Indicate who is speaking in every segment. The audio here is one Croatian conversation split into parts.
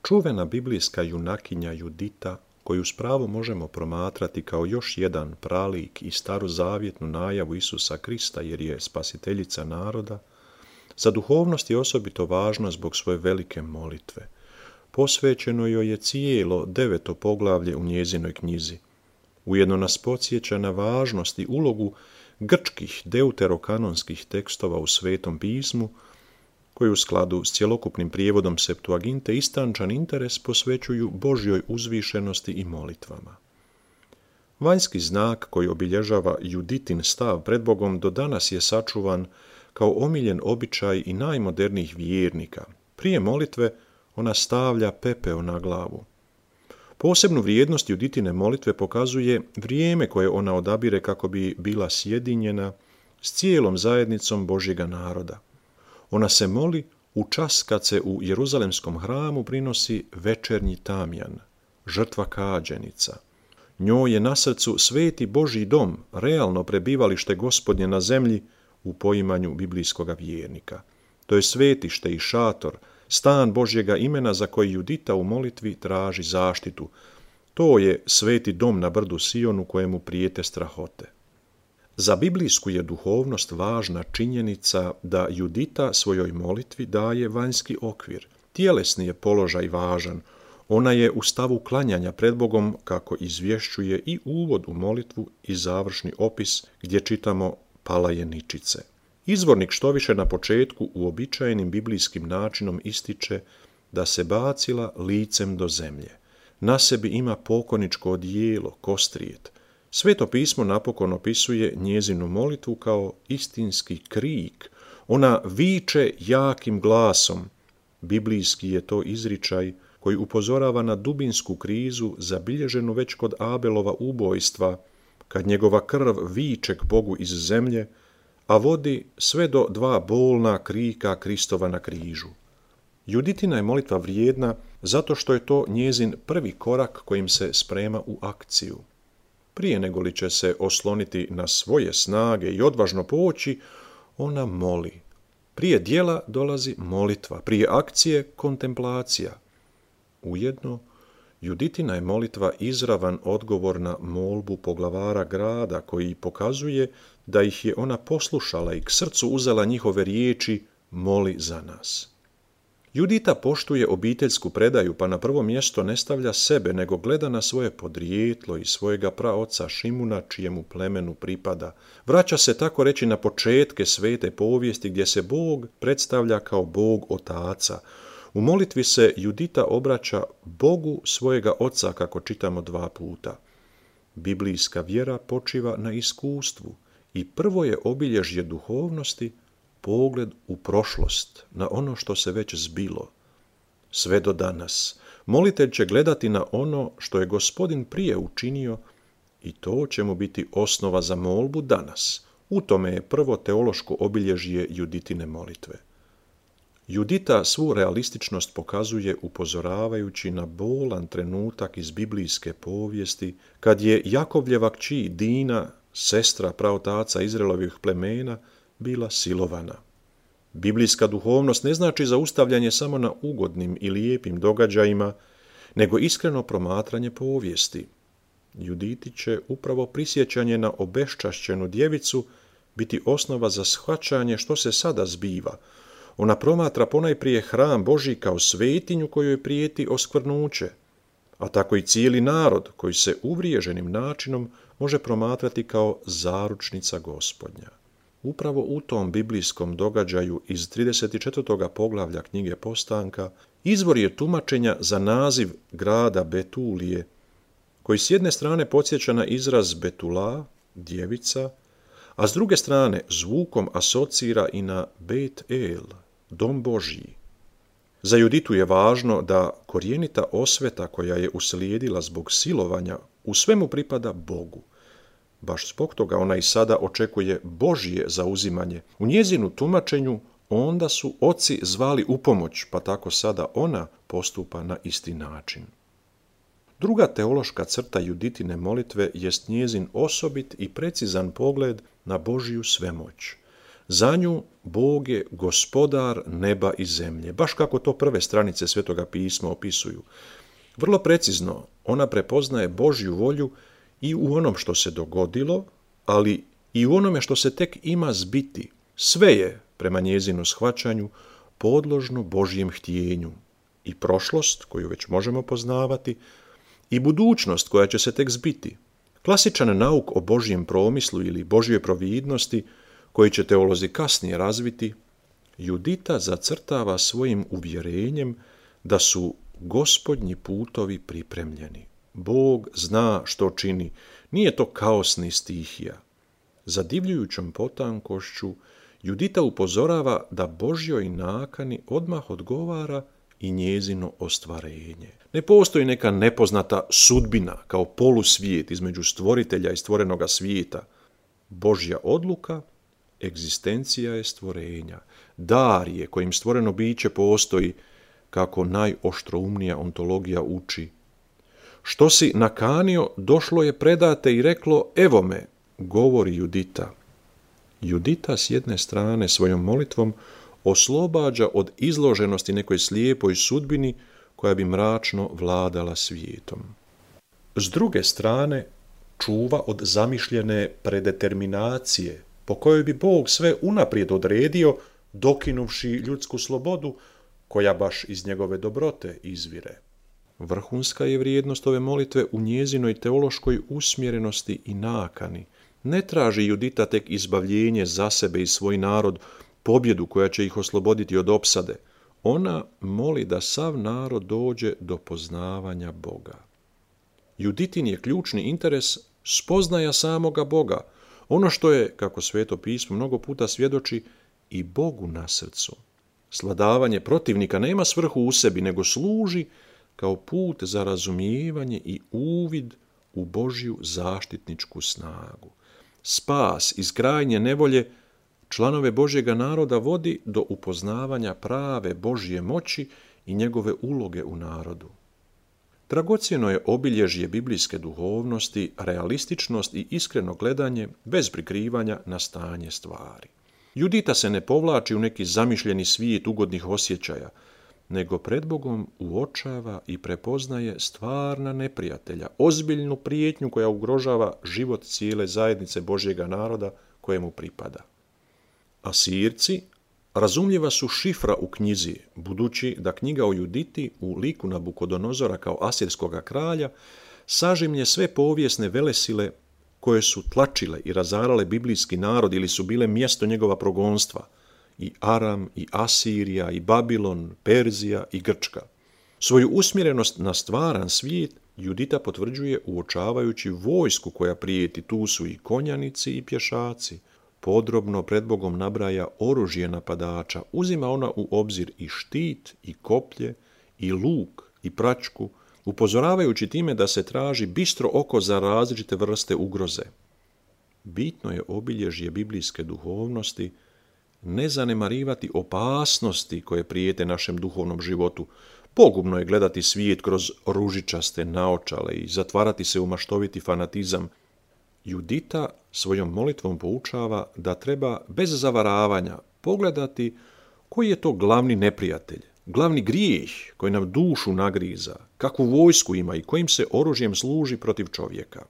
Speaker 1: Čuvena biblijska junakinja Judita, koju s pravom možemo promatrati kao još jedan pralik i starozavjetnu najavu Isusa Krista jer je spasiteljica naroda, za duhovnost je osobito važna zbog svoje velike molitve. Posvećeno joj je cijelo 9. poglavlje u njezinoj knjizi. Ujedno nas podsjeća na važnost i ulogu grčkih deuterokanonskih tekstova u Svetom pismu, koji u skladu s cjelokupnim prijevodom Septuaginte istančan interes posvećuju Božjoj uzvišenosti i molitvama. Vanjski znak koji obilježava Juditin stav pred Bogom do danas je sačuvan kao omiljen običaj i najmodernijih vjernika. Prije molitve ona stavlja pepeo na glavu. Posebnu vrijednost Juditine molitve pokazuje vrijeme koje ona odabire kako bi bila sjedinjena s cijelom zajednicom Božjega naroda. Ona se moli u čas kad se u Jeruzalemskom hramu prinosi večernji tamjan, žrtva kađenica. Njoj je na srcu sveti Božji dom, realno prebivalište Gospodnje na zemlji u poimanju biblijskoga vjernika. To je svetište i šator, stan Božjega imena za koji Judita u molitvi traži zaštitu. To je sveti dom na brdu Sionu kojemu prijete strahote. Za biblijsku je duhovnost važna činjenica da Judita svojoj molitvi daje vanjski okvir. Tjelesni je položaj važan. Ona je u stavu klanjanja pred Bogom, kako izvješćuje i uvod u molitvu i završni opis gdje čitamo palaje ničice. Izvornik štoviše na početku uobičajenim biblijskim načinom ističe da se bacila licem do zemlje. Na sebi ima pokoničko odijelo, kostrijet. Sveto pismo napokon opisuje njezinu molitvu kao istinski krik. Ona viče jakim glasom. Biblijski je to izričaj koji upozorava na dubinsku krizu zabilježenu već kod Abelova ubojstva, kad njegova krv viče k Bogu iz zemlje, a vodi sve do 2 bolna krika Kristova na križu. Juditina je molitva vrijedna zato što je to njezin prvi korak kojim se sprema u akciju. Prije nego li će se osloniti na svoje snage i odvažno poći, ona moli. Prije djela dolazi molitva, prije akcije kontemplacija. Ujedno, Juditina je molitva izravan odgovor na molbu poglavara grada koji pokazuje da ih je ona poslušala i k srcu uzela njihove riječi moli za nas. Judita poštuje obiteljsku predaju, pa na prvo mjesto ne stavlja sebe, nego gleda na svoje podrijetlo i svojega praoca Šimuna, čijemu plemenu pripada. Vraća se tako reći na početke svete povijesti gdje se Bog predstavlja kao Bog otaca. U molitvi se Judita obraća Bogu svojega oca, kako čitamo 2 puta. Biblijska vjera počiva na iskustvu i prvo je obilježje duhovnosti pogled u prošlost, na ono što se već zbilo. Sve do danas molitelj će gledati na ono što je Gospodin prije učinio i to će mu biti osnova za molbu danas. U tome je prvo teološko obilježje Juditine molitve. Judita svu realističnost pokazuje upozoravajući na bolan trenutak iz biblijske povijesti, kad je Jakovljeva kći Dina, sestra praotaca Izraelovih plemena, bila silovana. Biblijska duhovnost ne znači zaustavljanje samo na ugodnim i lijepim događajima, nego iskreno promatranje povijesti. Juditi će upravo prisjećanje na obeščašćenu djevicu biti osnova za shvaćanje što se sada zbiva. Ona promatra ponajprije hram Božji kao svetinju kojoj prijeti oskvrnuće, a tako i cijeli narod koji se uvriježenim načinom može promatrati kao zaručnica Gospodnja. Upravo u tom biblijskom događaju iz 34. poglavlja knjige Postanka izvor je tumačenja za naziv grada Betulije, koji s jedne strane podsjeća na izraz Betula, djevica, a s druge strane zvukom asocira i na Bet El, dom Božji. Za Juditu je važno da korijenita osveta koja je uslijedila zbog silovanja u svemu pripada Bogu. Baš zbog toga ona i sada očekuje Božje zauzimanje. U njezinu tumačenju onda su oci zvali u pomoć, pa tako sada ona postupa na isti način. Druga teološka crta Juditine molitve jest njezin osobit i precizan pogled na Božju svemoć. Za nju Bog je gospodar neba i zemlje, baš kako to prve stranice Svetoga pisma opisuju. Vrlo precizno ona prepoznaje Božju volju i u onom što se dogodilo, ali i u onome što se tek ima zbiti. Sve je, prema njezinu shvaćanju, podložno Božjem htjenju. I prošlost, koju već možemo poznavati, i budućnost koja će se tek zbiti. Klasičan nauk o Božjem promislu ili Božjoj providnosti, koji će teolozi kasnije razviti, Judita zacrtava svojim uvjerenjem da su Gospodnji putovi pripremljeni. Bog zna što čini, nije to kaos ni stihija. Zadivljujućom potankošću Judita upozorava da Božjoj nakani odmah odgovara i njezino ostvarenje. Ne postoji neka nepoznata sudbina kao polusvijet između stvoritelja i stvorenoga svijeta. Božja odluka, egzistencija je stvorenja. Dar je kojim stvoreno biće postoji, kako najoštroumnija ontologija uči. Što si nakanio, došlo je predate i reklo, evo me, govori Judita. Judita s jedne strane svojom molitvom oslobađa od izloženosti nekoj slijepoj sudbini koja bi mračno vladala svijetom. S druge strane, čuva od zamišljene predeterminacije, po kojoj bi Bog sve unaprijed odredio, dokinuvši ljudsku slobodu, koja baš iz njegove dobrote izvire. Vrhunska je vrijednost ove molitve u njezinoj teološkoj usmjerenosti i nakani. Ne traži Judita tek izbavljenje za sebe i svoj narod, pobjedu koja će ih osloboditi od opsade. Ona moli da sav narod dođe do poznavanja Boga. Juditin je ključni interes spoznaja samoga Boga, ono što je, kako Sveto pismo mnogo puta svjedoči, i Bogu na srcu. Svladavanje protivnika nema svrhu u sebi, nego služi kao put za razumijevanje i uvid u Božju zaštitničku snagu. Spas iz krajnje nevolje članove Božjega naroda vodi do upoznavanja prave Božje moći i njegove uloge u narodu. Dragocjeno je obilježje biblijske duhovnosti, realističnost i iskreno gledanje bez prikrivanja na stanje stvari. Judita se ne povlači u neki zamišljeni svijet ugodnih osjećaja, nego pred Bogom uočava i prepoznaje stvarna neprijatelja, ozbiljnu prijetnju koja ugrožava život cijele zajednice Božjega naroda kojemu pripada. Asirci razumljiva su šifra u knjizi, budući da knjiga o Juditi u liku Nabukodonozora kao asirskoga kralja sažimlje sve povijesne velesile koje su tlačile i razarale biblijski narod ili su bile mjesto njegova progonstva, i Aram, i Asirija, i Babilon, Perzija i Grčka. Svoju usmjerenost na stvaran svijet Judita potvrđuje uočavajući vojsku koja prijeti. Tu su i konjanici i pješaci. Podrobno pred Bogom nabraja oružje napadača, uzima ona u obzir i štit, i koplje, i luk, i praćku, upozoravajući time da se traži bistro oko za različite vrste ugroze. Bitno je obilježje biblijske duhovnosti ne zanemarivati opasnosti koje prijete našem duhovnom životu. Pogubno je gledati svijet kroz ružičaste naočale i zatvarati se u maštoviti fanatizam. Judita svojom molitvom poučava da treba bez zavaravanja pogledati koji je to glavni neprijatelj, glavni grijeh koji nam dušu nagriza, kakvu vojsku ima i kojim se oružjem služi protiv čovjeka.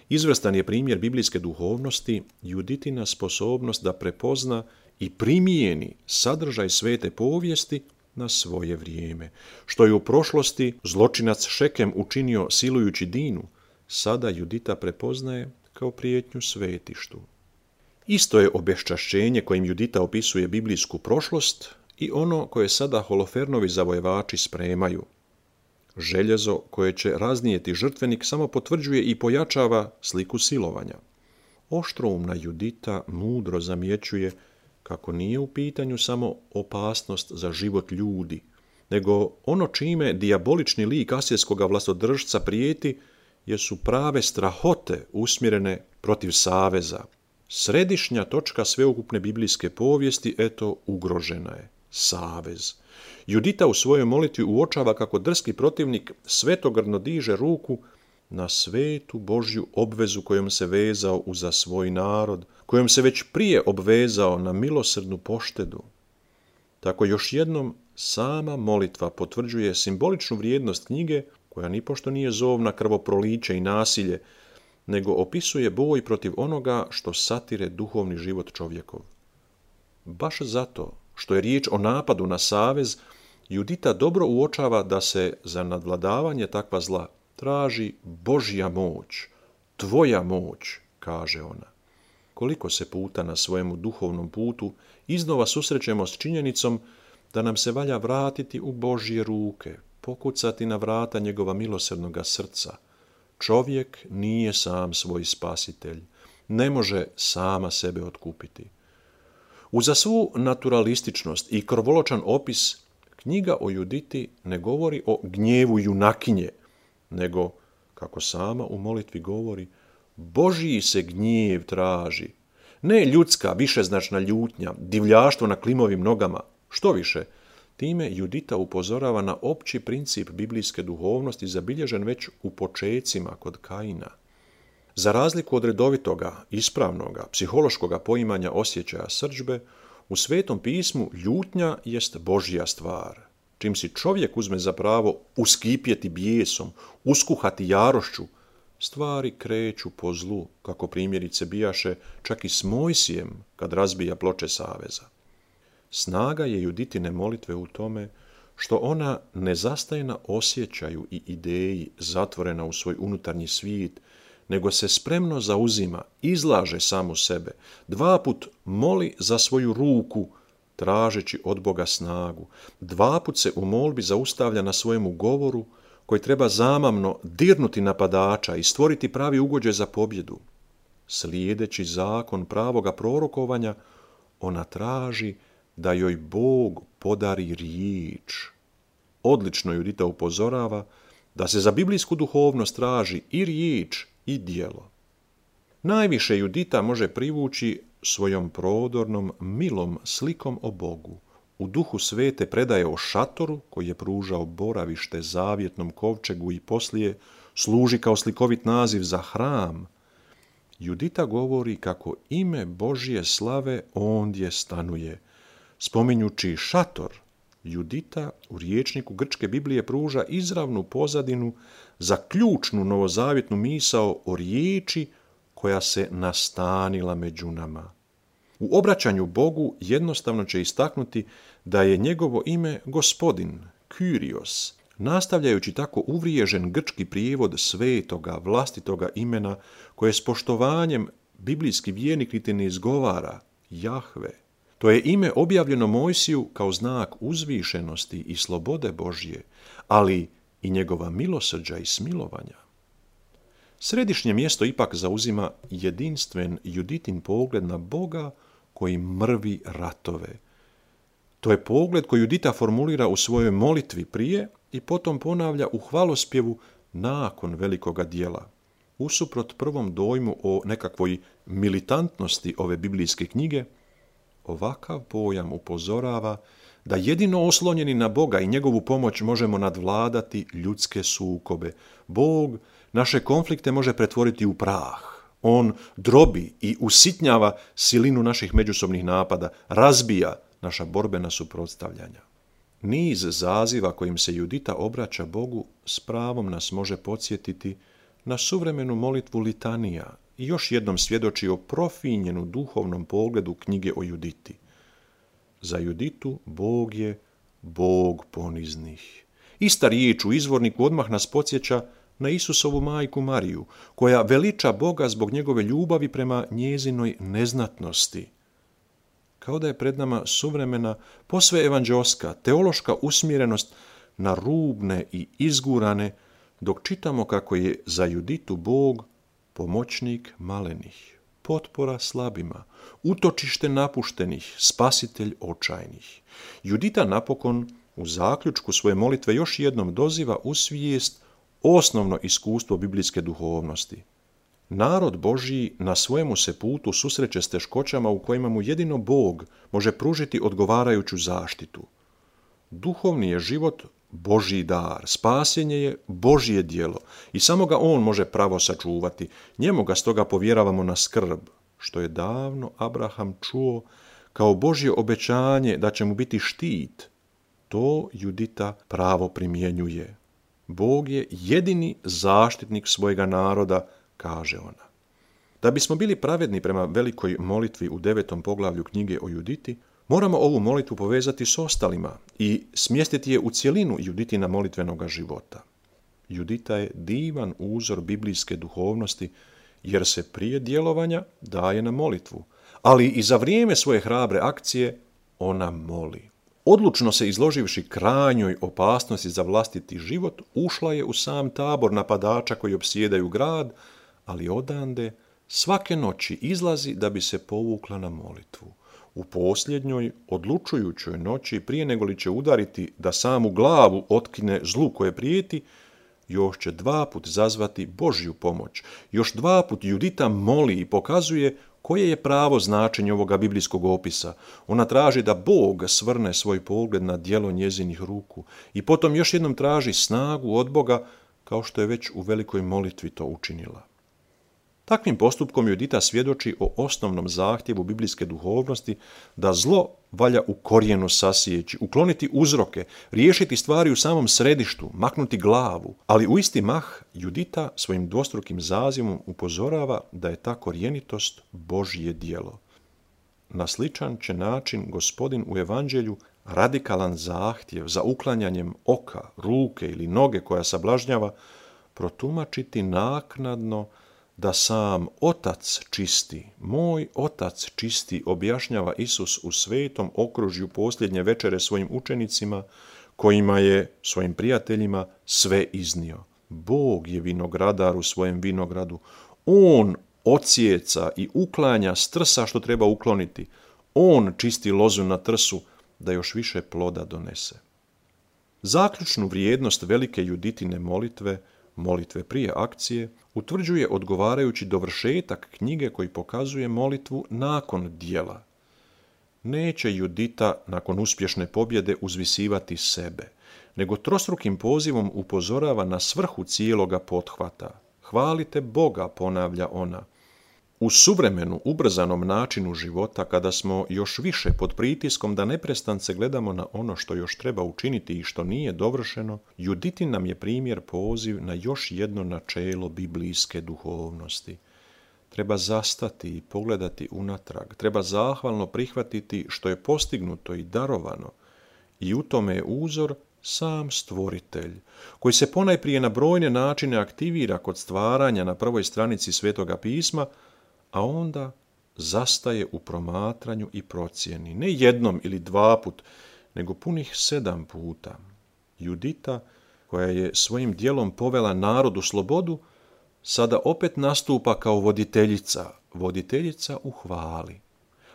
Speaker 1: Izvrstan je primjer biblijske duhovnosti Juditina sposobnost da prepozna i primijeni sadržaj svete povijesti na svoje vrijeme. Što je u prošlosti zločinac Šekem učinio silujući Dinu, sada Judita prepoznaje kao prijetnju svetištu. Isto je obeščašćenje kojim Judita opisuje biblijsku prošlost i ono koje sada Holofernovi zavojevači spremaju. Željezo koje će raznijeti žrtvenik samo potvrđuje i pojačava sliku silovanja. Oštroumna Judita mudro zamjećuje kako nije u pitanju samo opasnost za život ljudi, nego ono čime dijabolični lik asirskoga vlastodržca prijeti jesu prave strahote usmjerene protiv saveza. Središnja točka sveukupne biblijske povijesti, ugrožena je. Savez. Judita u svojoj molitvi uočava kako drski protivnik svetogrdno diže ruku na svetu Božju obvezu kojom se vezao uza svoj narod, kojom se već prije obvezao na milosrdnu poštedu. Tako još jednom sama molitva potvrđuje simboličnu vrijednost knjige, koja nipošto nije zov na krvoproliće i nasilje, nego opisuje boj protiv onoga što satire duhovni život čovjekov. Baš zato što je riječ o napadu na savez, Judita dobro uočava da se za nadvladavanje takva zla traži Božja moć, tvoja moć, kaže ona. Koliko se puta na svojemu duhovnom putu iznova susrećemo s činjenicom da nam se valja vratiti u Božje ruke, pokucati na vrata njegova milosrdnoga srca. Čovjek nije sam svoj spasitelj, ne može sama sebe otkupiti. Uza svu naturalističnost i krvoločan opis, knjiga o Juditi ne govori o gnjevu junakinje, nego, kako sama u molitvi govori, Božji se gnjev traži. Ne ljudska, višeznačna ljutnja, divljaštvo na klimovim nogama. Što više, time Judita upozorava na opći princip biblijske duhovnosti zabilježen već u počecima kod Kaina. Za razliku od redovitoga, ispravnoga, psihološkoga poimanja osjećaja srdžbe, u Svetom pismu ljutnja jest Božja stvar. Čim si čovjek uzme za pravo uskipjeti bijesom, uskuhati jarošću, stvari kreću po zlu, kako primjerice bijaše čak i s Mojsijem kad razbija ploče saveza. Snaga je Juditine molitve u tome što ona ne zastaje na osjećaju i ideji zatvorena u svoj unutarnji svijet, nego se spremno zauzima, izlaže samu sebe, dvaput moli za svoju ruku, tražeći od Boga snagu, dvaput se u molbi zaustavlja na svojemu govoru, koji treba zamamno dirnuti napadača i stvoriti pravi ugođaj za pobjedu. Slijedeći zakon pravoga prorokovanja, ona traži da joj Bog podari riječ. Odlično Judita upozorava da se za biblijsku duhovnost traži i riječ i djelo. Najviše Judita može privući svojom prodornom, milom slikom o Bogu. U duhu svete predaje o šatoru koji je pružao boravište zavjetnom kovčegu i poslije služi kao slikovit naziv za hram. Judita govori kako ime Božje slave ondje stanuje. Spominjući šator, Judita u rječniku grčke Biblije pruža izravnu pozadinu za ključnu novozavjetnu misao o riječi koja se nastanila među nama. U obraćanju Bogu jednostavno će istaknuti da je njegovo ime Gospodin, Kyrios, nastavljajući tako uvriježen grčki prijevod svetoga, vlastitoga imena koje s poštovanjem biblijski vjernik niti ne izgovara, Jahve. To je ime objavljeno Mojsiju kao znak uzvišenosti i slobode Božje, ali i njegova milosrđa i smilovanja. Središnje mjesto ipak zauzima jedinstven Juditin pogled na Boga koji mrvi ratove. To je pogled koji Judita formulira u svojoj molitvi prije i potom ponavlja u hvalospjevu nakon velikoga djela. Usuprot prvom dojmu o nekakvoj militantnosti ove biblijske knjige, ovakav pojam upozorava da jedino oslonjeni na Boga i njegovu pomoć možemo nadvladati ljudske sukobe. Bog naše konflikte može pretvoriti u prah. On drobi i usitnjava silinu naših međusobnih napada, razbija naša borbena suprotstavljanja. Niz zaziva kojim se Judita obraća Bogu s pravom nas može podsjetiti na suvremenu molitvu litanija i još jednom svjedoči o profinjenu duhovnom pogledu knjige o Juditi. Za Juditu Bog je Bog poniznih. Ista riječ u izvorniku odmah nas podsjeća na Isusovu majku Mariju, koja veliča Boga zbog njegove ljubavi prema njezinoj neznatnosti. Kao da je pred nama suvremena, posve evanđeoska, teološka usmjerenost na rubne i izgurane, dok čitamo kako je za Juditu Bog pomoćnik malenih, potpora slabima, utočište napuštenih, spasitelj očajnih. Judita napokon u zaključku svoje molitve još jednom doziva u svijest osnovno iskustvo biblijske duhovnosti. Narod Božji na svojemu se putu susreće s teškoćama u kojima mu jedino Bog može pružiti odgovarajuću zaštitu. Duhovni je život Božji dar, spasenje je Božje djelo i samo ga on može pravo sačuvati. Njemu ga stoga povjeravamo na skrb, što je davno Abraham čuo kao Božje obećanje da će mu biti štit. To Judita pravo primjenjuje. Bog je jedini zaštitnik svojega naroda, kaže ona. Da bismo bili pravedni prema velikoj molitvi u 9. poglavlju knjige o Juditi, moramo ovu molitvu povezati s ostalima i smjestiti je u cjelinu Juditina molitvenoga života. Judita je divan uzor biblijske duhovnosti, jer se prije djelovanja daje na molitvu, ali i za vrijeme svoje hrabre akcije ona moli. Odlučno se izloživši krajnjoj opasnosti za vlastiti život, ušla je u sam tabor napadača koji opsjedaju grad, ali odande svake noći izlazi da bi se povukla na molitvu. U posljednjoj, odlučujućoj noći, prije nego li će udariti da samu glavu otkine zlu koje prijeti, još će 2 put zazvati Božju pomoć. Još 2 put Judita moli i pokazuje koje je pravo značenje ovoga biblijskog opisa. Ona traži da Bog svrne svoj pogled na djelo njezinih ruku i potom još jednom traži snagu od Boga, kao što je već u velikoj molitvi to učinila. Takvim postupkom Judita svjedoči o osnovnom zahtjevu biblijske duhovnosti da zlo valja u korijenu sasijeći, ukloniti uzroke, riješiti stvari u samom središtu, maknuti glavu, ali u isti mah Judita svojim dvostrukim zazivom upozorava da je ta korijenitost Božje djelo. Na sličan će način Gospodin u evanđelju radikalan zahtjev za uklanjanjem oka, ruke ili noge koja sablažnjava protumačiti naknadno da sam Otac čisti, moj Otac čisti, objašnjava Isus u svetom okružju posljednje večere svojim učenicima, kojima je, svojim prijateljima, sve iznio. Bog je vinogradar u svojem vinogradu. On odsjeca i uklanja s trsa što treba ukloniti. On čisti lozu na trsu da još više ploda donese. Zaključnu vrijednost velike Juditine molitve prije akcije, utvrđuje odgovarajući dovršetak knjige koji pokazuje molitvu nakon djela. Neće Judita nakon uspješne pobjede uzvisivati sebe, nego trostrukim pozivom upozorava na svrhu cijeloga pothvata. Hvalite Boga, ponavlja ona. U suvremenu, ubrzanom načinu života, kada smo još više pod pritiskom da neprestance gledamo na ono što još treba učiniti i što nije dovršeno, Juditin nam je primjer poziv na još jedno načelo biblijske duhovnosti. Treba zastati i pogledati unatrag, treba zahvalno prihvatiti što je postignuto i darovano, i u tome je uzor sam Stvoritelj, koji se ponajprije na brojne načine aktivira kod stvaranja na prvoj stranici Svetoga pisma, a onda zastaje u promatranju i procjeni, ne jednom ili 2 put, nego punih 7 puta. Judita, koja je svojim djelom povela narod u slobodu, sada opet nastupa kao voditeljica u hvali.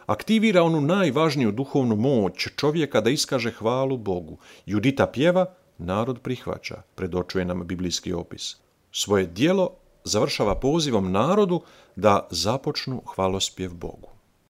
Speaker 1: Aktivira onu najvažniju duhovnu moć čovjeka da iskaže hvalu Bogu. Judita pjeva, narod prihvaća, predočuje nam biblijski opis. Svoje djelo završava pozivom narodu da započnu hvalospjev Bogu.